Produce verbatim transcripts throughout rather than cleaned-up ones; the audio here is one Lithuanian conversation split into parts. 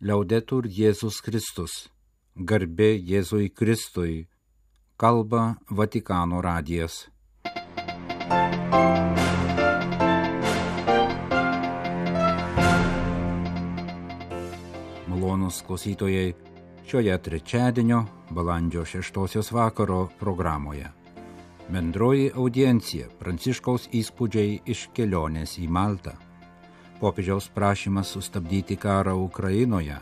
Liaudetur Jėzus Kristus, garbė Jėzui Kristui, kalba Vatikano radijas. Malonūs klausytojai, šioje trečiadienio, balandžio šeštosios vakaro programoje. Bendroji audiencija Pranciškaus įspūdžiai iš kelionės į Maltą. Popiežiaus prašymas sustabdyti karą Ukrainoje,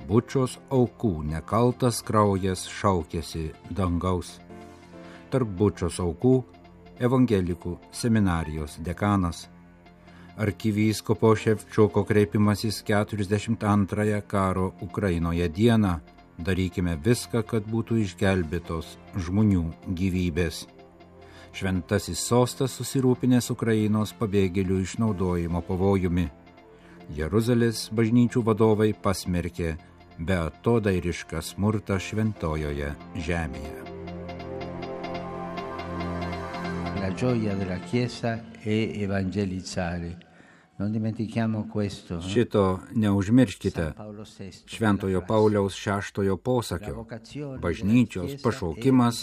Bučos aukų nekaltas kraujas šaukėsi dangaus. Tarp Bučos aukų evangelikų seminarijos dekanas. Arkivyskupo Ševčiuko kreipimasis keturiasdešimt antrąją karo Ukrainoje dieną. Darykime viską, kad būtų išgelbėtos žmonių gyvybės. Šventasis sostas susirūpinęs Ukrainos pabėgėlių išnaudojimo pavojumi. Jeruzalės bažnyčių vadovai pasmerkė beatodairišką smurtą šventojoje žemėje. La gioia della Chiesa è evangelizzare. Non dimentichiamo questo. Šito neužmirškite. Šventojo Pauliaus šeštojo posakio. Bažnyčios pašaukimas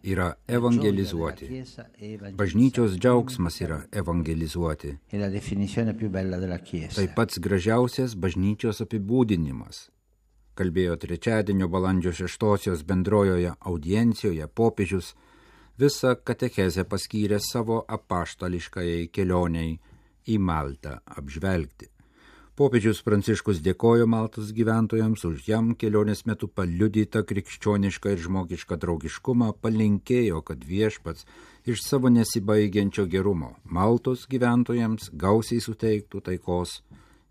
yra evangelizuoti. Bažnyčios džiaugsmas yra evangelizuoti. Tai pats gražiausias bažnyčios apibūdinimas. Kalbėjo trečiadienio balandžio šeštosios bendrojoje audiencijoje popiežius, visą katechezę paskyrė savo apaštališkajai kelioniai į Maltą apžvelgti. Popiežius Pranciškus dėkojo Maltos gyventojams už jam kelionės metu paliudytą krikščionišką ir žmogišką draugiškumą, palinkėjo, kad viešpats iš savo nesibaigiančio gerumo Maltos gyventojams gausiai suteiktų taikos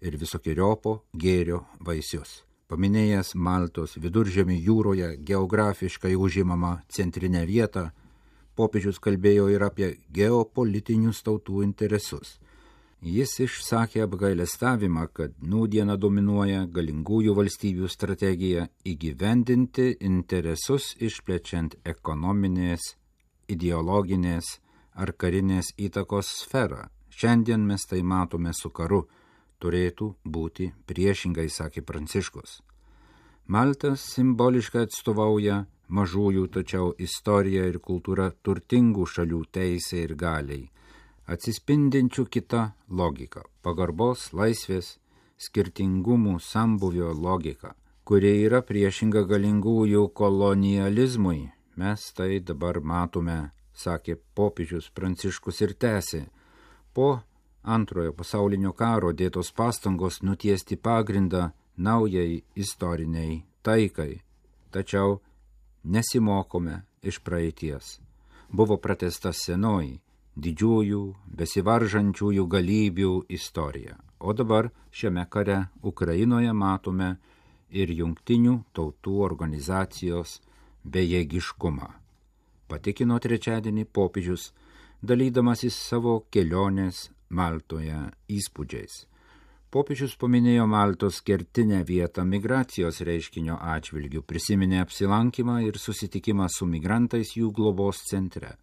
ir visokiojopo gėrio vaisius. Paminėjęs Maltos Viduržemio jūroje geografiškai užimamą centrinę vietą, popiežius kalbėjo ir apie geopolitinius tautų interesus. Jis išsakė apgailestavimą, kad nūdieną dominuoja galingųjų valstybių strategija įgyvendinti interesus išplečiant ekonominės, ideologinės ar karinės įtakos sferą. Šiandien mes tai matome su karu, turėtų būti priešingai, sakė Pranciškus. Malta simboliškai atstovauja mažųjų, tačiau istorija ir kultūra turtingų šalių teisė ir galiai, atsispindinčių kitą logiką, pagarbos, laisvės, skirtingumų sambuvio logika, kuri yra priešinga galingųjų kolonializmui. Mes tai dabar matome, sakė popiežius Pranciškus ir tęsė. Po antrojo pasaulinio karo dėtos pastangos nutiesti pagrindą naujai istoriniai taikai, tačiau nesimokome iš praeities. Buvo pratęsta senoji, didžiųjų, besivaržančiųjų galybių istorija. O dabar šiame kare Ukrainoje matome ir jungtinių tautų organizacijos bejėgiškumą. Patikino trečiadienį popiežius, dalydamasis savo kelionės Maltoje įspūdžiais. Popiežius paminėjo Maltos kertinę vietą migracijos reiškinio atžvilgių, prisiminė apsilankymą ir susitikimą su migrantais jų globos centre.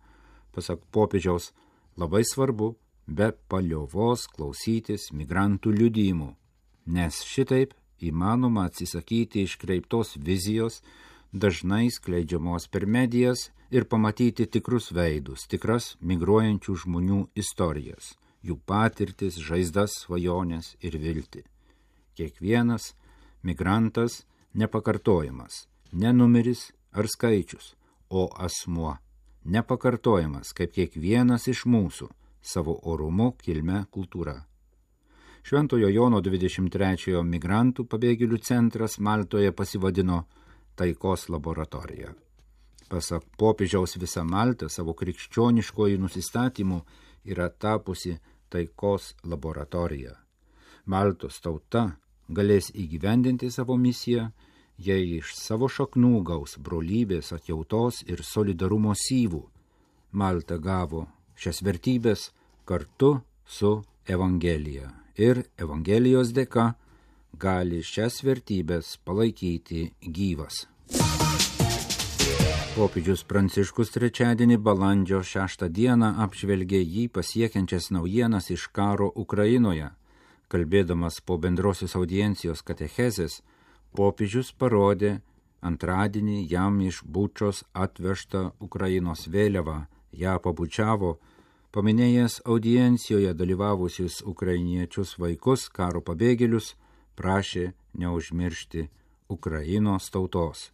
Pasak popiežiaus, labai svarbu be paliovos klausytis migrantų liudijimų, nes šitaip įmanoma atsisakyti iškreiptos vizijos, dažnai skleidžiamos per medijas ir pamatyti tikrus veidus, tikras migruojančių žmonių istorijas, jų patirtis, žaizdas, svajonės ir viltį. Kiekvienas migrantas nepakartojamas, ne numeris ar skaičius, o asmuo. Nepakartojamas, kaip kiekvienas iš mūsų, savo orumu, kilme, kultūra. Šventojo Jono dvidešimt trečiojo migrantų pabėgėlių centras Maltoje pasivadino taikos laboratorija. Pasak popiežiaus, visa Malta savo krikščioniškojų nusistatymų yra tapusi taikos laboratorija. Maltos tauta galės įgyvendinti savo misiją, jei iš savo šaknų gaus brolybės, atjautos ir solidarumo syvų. Malta gavo šias vertybės kartu su Evangelija ir Evangelijos dėka gali šias vertybės palaikyti gyvas. Popiežius Pranciškus trečiadienį balandžio šeštą dieną apžvelgė jį pasiekiančias naujienas iš karo Ukrainoje. Kalbėdamas po bendrosios audiencijos katechezės, Popiežius parodė antradienį jam iš Bučos atvežtą Ukrainos vėliavą, ją pabučiavo, paminėjęs audiencijoje dalyvavusius ukrainiečius vaikus, karo pabėgėlius, prašė neužmiršti Ukrainos tautos.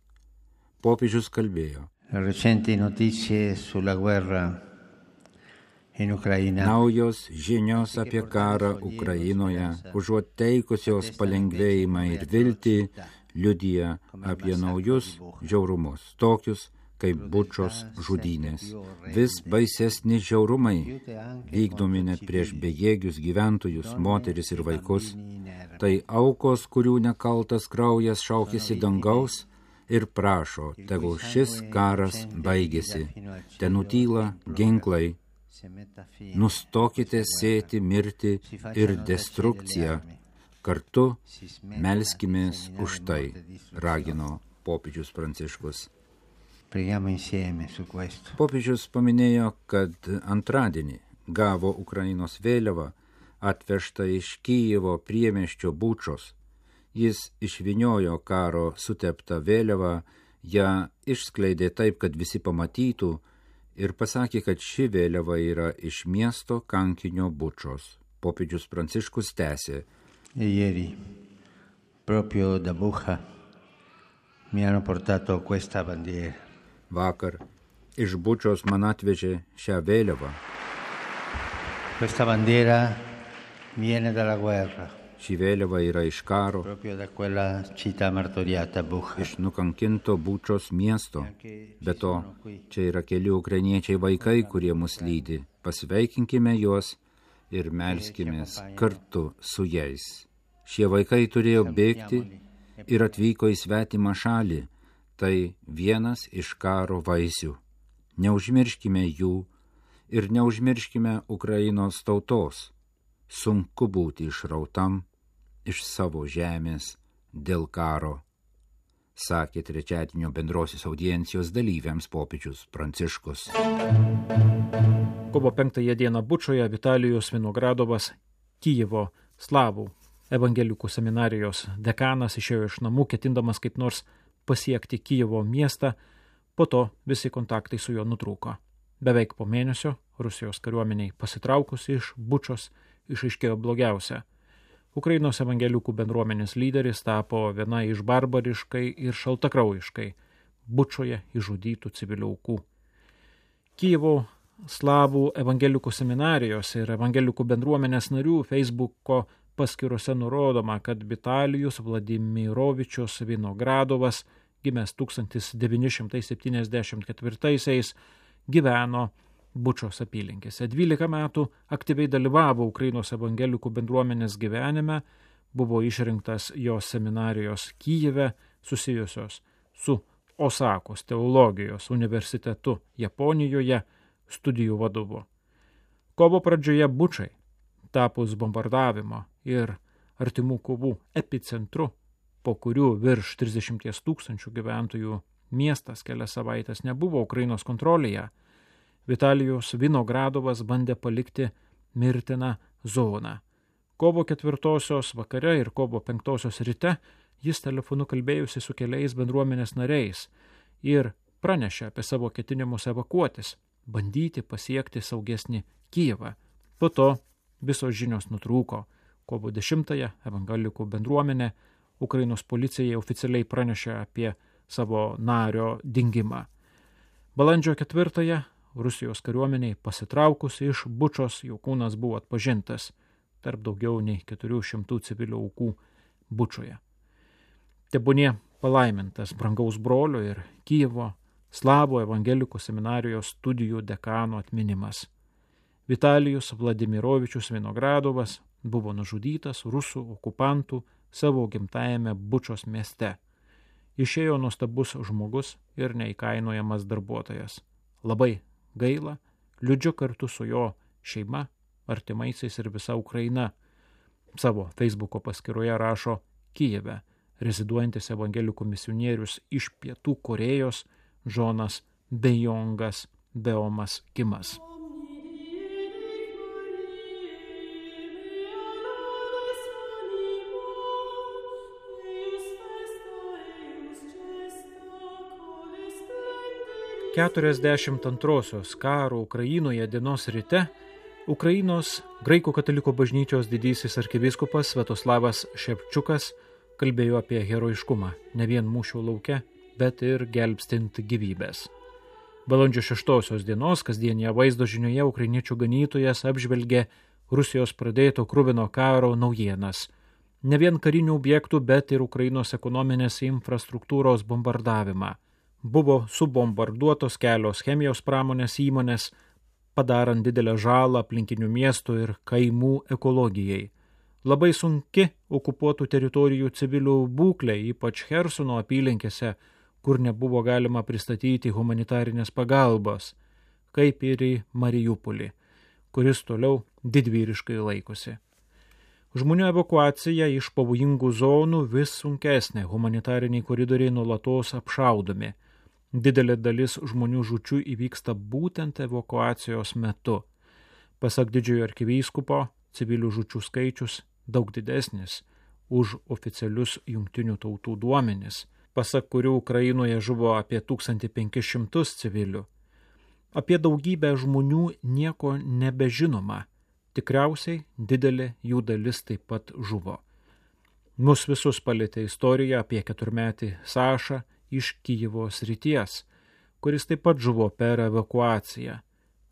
Popiežius kalbėjo. Naujos žinios apie karą Ukrainoje, užuot teikusios palengvėjimą ir viltį, liudija apie naujus žiaurumus, tokius kaip Bučos žudynės. Vis baisesni žiaurumai vykdomi net prieš bejėgius gyventojus, moteris ir vaikus. Tai aukos, kurių nekaltas kraujas šaukėsi dangaus ir prašo, tegul šis karas baigėsi. Ten nutyla ginklai. Nustokite sėti mirtį ir destrukciją. Kartu melskimės už tai, ragino popiežius Pranciškus. Popiežius paminėjo, kad antradienį gavo Ukrainos vėliavą atvežtą iš Kijevo priemiesčio Bučos. Jis išvyniojo karo suteptą vėliavą, ją išskleidė taip, kad visi pamatytų ir pasakė, kad ši vėliava yra iš miesto kankinio Bučos. Popiežius Pranciškus tęsė. Ieri, proprio da Bucha, mi hanno portato questa bandiera. Vakar iš Bučos man atvežė šią vėliavą. Questa bandiera viene dalla guerra. Ši vėliava yra iš karo, proprio da quella città martoriata Bucha. Iš nukankinto Bučos miesto. Be to, čia yra keli ukrainiečiai vaikai, kurie mus lydi. Pasveikinkime juos ir melskimės kartu su jais. Šie vaikai turėjo bėgti ir atvyko į svetimą šalį. Tai vienas iš karo vaisių. Neužmirškime jų ir neužmirškime Ukrainos tautos. Sunku būti išrautam iš savo žemės dėl karo, sakė trečiadienio bendrosios audiencijos dalyviams popiežius Pranciškus. Kovo penktąją dieną Bučoje Vitalijus Vinogradovas, Kijevo slavų evangelikų seminarijos dekanas, išėjo iš namų, ketindamas kaip nors pasiekti Kijevo miestą, po to visi kontaktai su juo nutrūko. Beveik po mėnesio Rusijos kariuomeniai pasitraukus iš Bučos išaiškėjo blogiausia. Ukrainos evangelikų bendruomenės lyderis tapo viena iš barbariškai ir šaltakraujiškai Bučoje išžudytų civilių aukų. Kijevo slavų evangelikų seminarijos ir evangelikų bendruomenės narių Facebooko paskyrose nurodoma, kad Vitalijus Vladimirovičius Vinogradovas, gimęs tūkstantis devyni šimtai septyniasdešimt ketvirtaisiais, gyveno Bučos apylinkėse. dvylika metų aktyviai dalyvavo Ukrainos evangelikų bendruomenės gyvenime, buvo išrinktas jos seminarijos Kijeve, susijusios su Osakos teologijos universitetu Japonijoje, studijų vadovu. Kovo pradžioje Bučai, tapus bombardavimo ir artimų kovų epicentru, po kurių virš trisdešimt tūkstančių gyventojų miestas kelias savaitės nebuvo Ukrainos kontrolėje, Vitalijus Vinogradovas bandė palikti mirtiną zoną. Kovo ketvirtosios vakare ir kovo penktosios ryte jis telefonu kalbėjusi su keliais bendruomenės nariais ir pranešė apie savo ketinimus evakuotis, bandyti pasiekti saugesnį Kijevą. Po to visos žinios nutrūko. Kovo dešimtąją evangelikų bendruomenė Ukrainos policijai oficialiai pranešė apie savo nario dingimą. Balandžio ketvirtąją Rusijos kariuomeniai pasitraukus iš Bučos jo kūnas buvo atpažintas tarp daugiau nei keturių šimtų civilių aukų Bučoje. Tebūnie palaimintas brangaus brolio ir Kijevo slavų evangelikų seminarijos studijų dekano atminimas. Vitalijus Vladimirovičius Vinogradovas buvo nužudytas rusų okupantų savo gimtajame Bučos mieste. Išėjo nuostabus žmogus ir neįkainojamas darbuotojas. Labai gaila, liūdžiu kartu su jo šeima, artimaisiais ir visa Ukraina. Savo Facebooko paskyroje rašo Kijeve reziduojantis evangelikų misionierius iš Pietų Korėjos Džonas Bejongas Beomas Kimas. keturiasdešimt antrosios karo Ukrainoje dienos ryte Ukrainos graikų katalikų bažnyčios didysis arkivyskupas Sviatoslavas Ševčiukas kalbėjo apie herojiškumą ne vien mūšio lauke, bet ir gelbstint gyvybės. Balandžio šeštosios dienos kasdienėje vaizdo žinioje ukrainiečių ganytojas apžvelgė Rusijos pradėto kruvino karo naujienas. Ne vien karinių objektų, bet ir Ukrainos ekonominės infrastruktūros bombardavimą. Buvo subombarduotos kelios chemijos pramonės įmonės, padarant didelę žalą aplinkinių miestų ir kaimų ekologijai. Labai sunki okupuotų teritorijų civilių būklė, ypač Chersono apylinkėse, kur nebuvo galima pristatyti humanitarinės pagalbos, kaip ir į Mariupolį, kuris toliau didvyriškai laikosi. Žmonių evakuacija iš pavojingų zonų vis sunkesnė, humanitariniai koridoriai nuolatos apšaudomi. Didelė dalis žmonių žūčių įvyksta būtent evakuacijos metu. Pasak didžiojo arkivyskupo, civilių žūčių skaičius daug didesnis už oficialius jungtinių tautų duomenis, pasak kurių Ukrainoje žuvo apie tūkstantį penkis šimtus civilių. Apie daugybę žmonių nieko nebežinoma, tikriausiai didelė jų dalis taip pat žuvo. Mus visus palietė istorija apie keturmetį Sašą iš Kijevo srities, kuris taip pat žuvo per evakuaciją.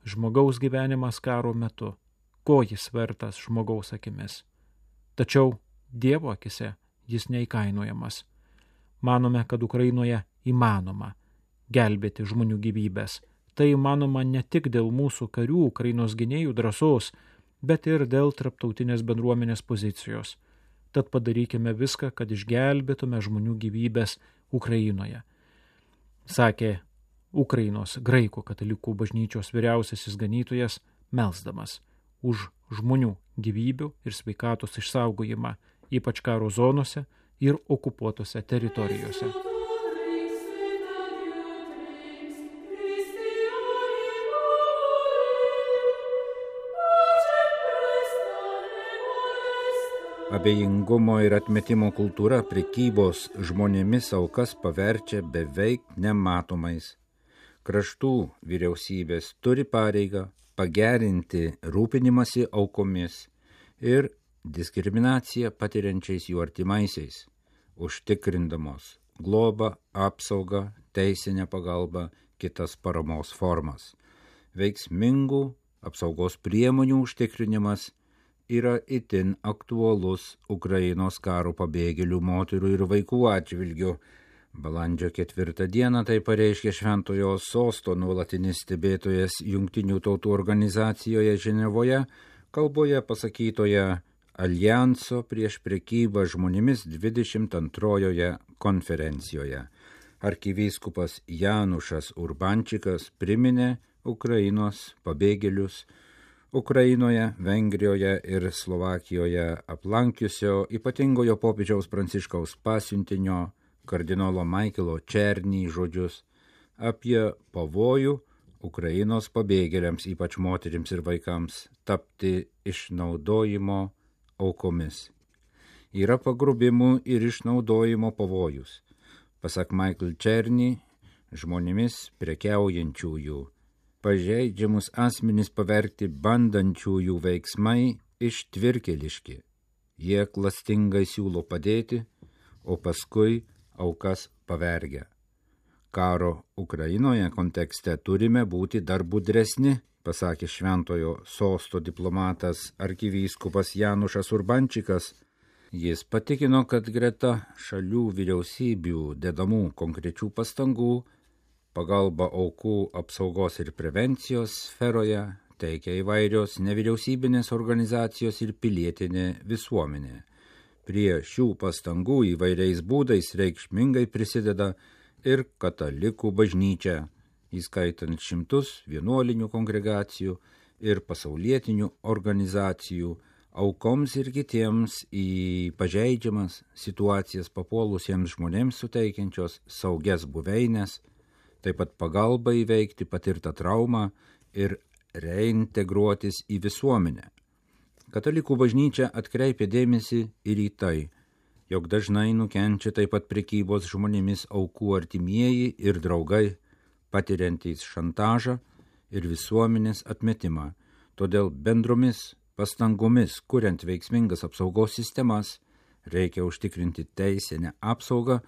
Žmogaus gyvenimas karo metu, ko jis vertas žmogaus akimis. Tačiau Dievo akise jis neįkainojamas. Manome, kad Ukrainoje įmanoma gelbėti žmonių gyvybės. Tai įmanoma ne tik dėl mūsų karių Ukrainos gynėjų drąsos, bet ir dėl tarptautinės bendruomenės pozicijos. Tad padarykime viską, kad išgelbėtume žmonių gyvybės Ukrainoje, sakė Ukrainos graikų katalikų bažnyčios vyriausiasis ganytojas, melsdamas už žmonių gyvybių ir sveikatos išsaugojimą, ypač karo zonose ir okupuotose teritorijose. Abejingumo ir atmetimo kultūra prekybos žmonėmis aukas paverčia beveik nematomais. Kraštų vyriausybės turi pareigą pagerinti rūpinimąsi aukomis ir diskriminaciją patiriančiais jų artimaisiais, užtikrindamos globą, apsaugą, teisinę pagalbą, kitas paramos formas. Veiksmingų apsaugos priemonių užtikrinimas yra itin aktualus Ukrainos karo pabėgėlių moterų ir vaikų atžvilgių. Balandžio ketvirtą dieną tai pareiškė Šventojo Sosto nuolatinis stebėtojas Jungtinių tautų organizacijoje Ženevoje, kalboje pasakytoje Aljanso prieš prekybą žmonėmis dvidešimt antrojoje konferencijoje. Arkivyskupas Janušas Urbančikas priminė Ukrainos pabėgėlius Ukrainoje, Vengrijoje ir Slovakijoje aplankiusio ypatingojo popiežiaus Pranciškaus pasiuntinio kardinolo Maikelo Černį žodžius apie pavojų Ukrainos pabėgėliams, ypač moterims ir vaikams, tapti išnaudojimo aukomis. Yra pagrobimų ir išnaudojimo pavojus. Pasak Michael Černį, žmonėmis prekiaujančiųjų pažeidžiamus asmenis pavergti bandančiųjų veiksmai ištvirkeliški. Jie klastingai siūlo padėti, o paskui aukas pavergia. Karo Ukrainoje kontekste turime būti dar budresni, pasakė Šventojo Sosto diplomatas arkivyskupas Janušas Urbančikas. Jis patikino, kad greta šalių vyriausybių dedamų konkrečių pastangų pagalba aukų apsaugos ir prevencijos sferoje teikia įvairios nevyriausybinės organizacijos ir pilietinė visuomenė. Prie šių pastangų įvairiais būdais reikšmingai prisideda ir katalikų bažnyčia, įskaitant šimtus vienuolinių kongregacijų ir pasaulietinių organizacijų, aukoms ir kitiems į pažeidžiamas situacijas papuolusiems žmonėms suteikiančios saugias buveines, taip pat pagalba įveikti patirtą traumą ir reintegruotis į visuomenę. Katalikų bažnyčia atkreipia dėmesį ir į tai, jog dažnai nukenčia taip pat prekybos žmonėmis aukų artimieji ir draugai, patiriantys šantažą ir visuomenės atmetimą. Todėl bendromis pastangomis, kuriant veiksmingas apsaugos sistemas, reikia užtikrinti teisinę apsaugą,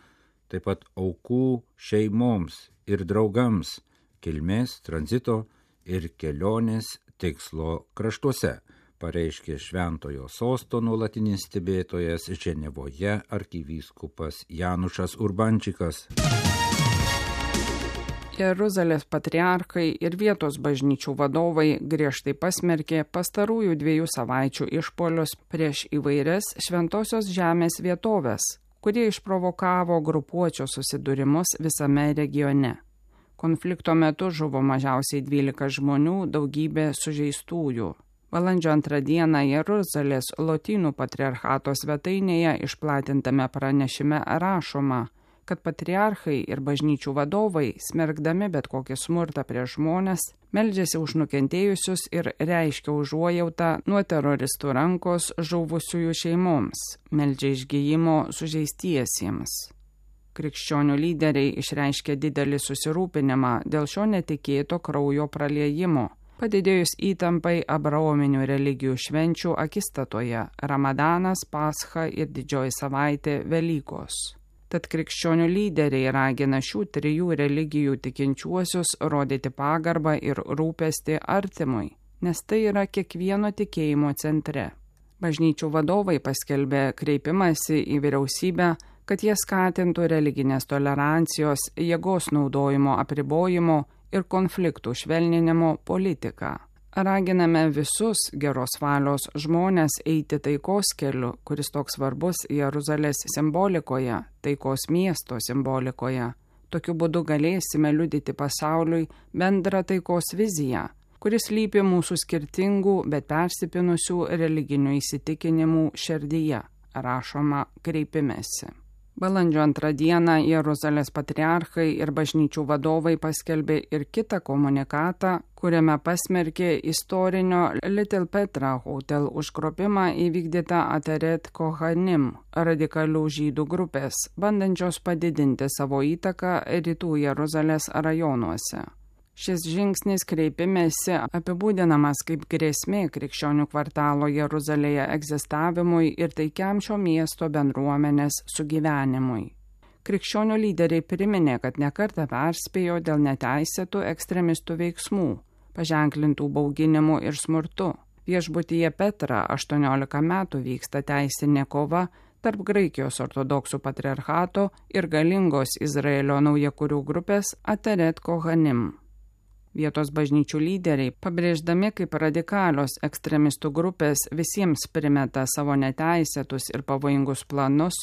taip pat aukų šeimoms ir draugams kilmės, tranzito ir kelionės tikslo kraštuose, pareiškė Šventojo sosto nuolatinis stebėtojas Ženevoje arkivyskupas Janušas Urbančikas. Jeruzalės patriarchai ir vietos bažnyčių vadovai griežtai pasmerkė pastarųjų dviejų savaičių išpuolius prieš įvairias šventosios žemės vietovės, kurie išprovokavo grupuočio susidūrimus visame regione. Konflikto metu žuvo mažiausiai dvylika žmonių, daugybė sužeistųjų. Balandžio antrą dieną Jeruzalės Lotynų patriarchato svetainėje išplatintame pranešime rašoma, kad patriarchai ir bažnyčių vadovai, smerkdami bet kokį smurtą prieš žmones, meldžiasi už nukentėjusius ir reiškia užuojautą nuo teroristų rankos žuvusiųjų šeimoms, meldžia išgijimo sužeistiesiems. Krikščionių lyderiai išreiškė didelį susirūpinimą dėl šio netikėto kraujo praliejimo, padidėjus įtampai abraominių religijų švenčių akistatoje – Ramadanas, Pascha ir Didžioji savaitė Velykos. Tad krikščionių lyderiai ragina šių trijų religijų tikinčiuosius rodyti pagarbą ir rūpestį artimui, nes tai yra kiekvieno tikėjimo centre. Bažnyčių vadovai paskelbė kreipimąsi į vyriausybę, kad jie skatintų religinės tolerancijos, jėgos naudojimo apribojimo ir konfliktų švelninimo politiką. Raginame visus geros valios žmonės eiti taikos keliu, kuris toks svarbus Jeruzalės simbolikoje, taikos miesto simbolikoje. Tokiu būdu galėsime liudyti pasauliui bendrą taikos viziją, kuris slypi mūsų skirtingų, bet persipinusių religinių įsitikinimų širdyje, rašoma kreipimesi. Balandžio antrą dieną Jeruzalės patriarchai ir bažnyčių vadovai paskelbė ir kitą komunikatą, kuriame pasmerkė istorinio Little Petra Hotel užgrobimą įvykdytą Ateret Kohanim, radikalių žydų grupės, bandančios padidinti savo įtaką rytų Jeruzalės rajonuose. Šis žingsnis kreipimėsi apibūdinamas kaip grėsmė krikščionių kvartalo Jeruzalėje egzistavimui ir taikiam šio miesto bendruomenės sugyvenimui. Krikščionių lyderiai priminė, kad nekartą perspėjo dėl neteisėtų ekstremistų veiksmų, paženklintų bauginimu ir smurtu. Viešbutyje Petra aštuoniolika metų vyksta teisinė kova tarp Graikijos ortodoksų patriarchato ir galingos Izraelio naujakurių grupės Ateret Kohanim. Vietos bažnyčių lyderiai, pabrėždami kaip radikalios ekstremistų grupės visiems primeta savo neteisėtus ir pavojingus planus,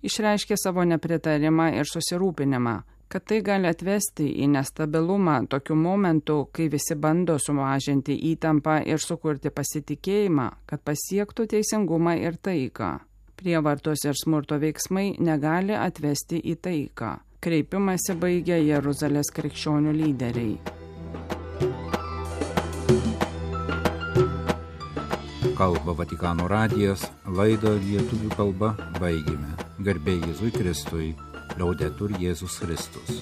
išreiškė savo nepritarimą ir susirūpinimą, kad tai gali atvesti į nestabilumą tokiu momentu, kai visi bando sumažinti įtampą ir sukurti pasitikėjimą, kad pasiektų teisingumą ir taiką. Prievartos ir smurto veiksmai negali atvesti į taiką. Kreipimąsi baigė Jeruzalės krikščionių lyderiai. Kalba Vatikano radijas, laidą lietuvių kalba baigėme. Garbė Jėzui Kristui, Laudetur Jėzus Kristus.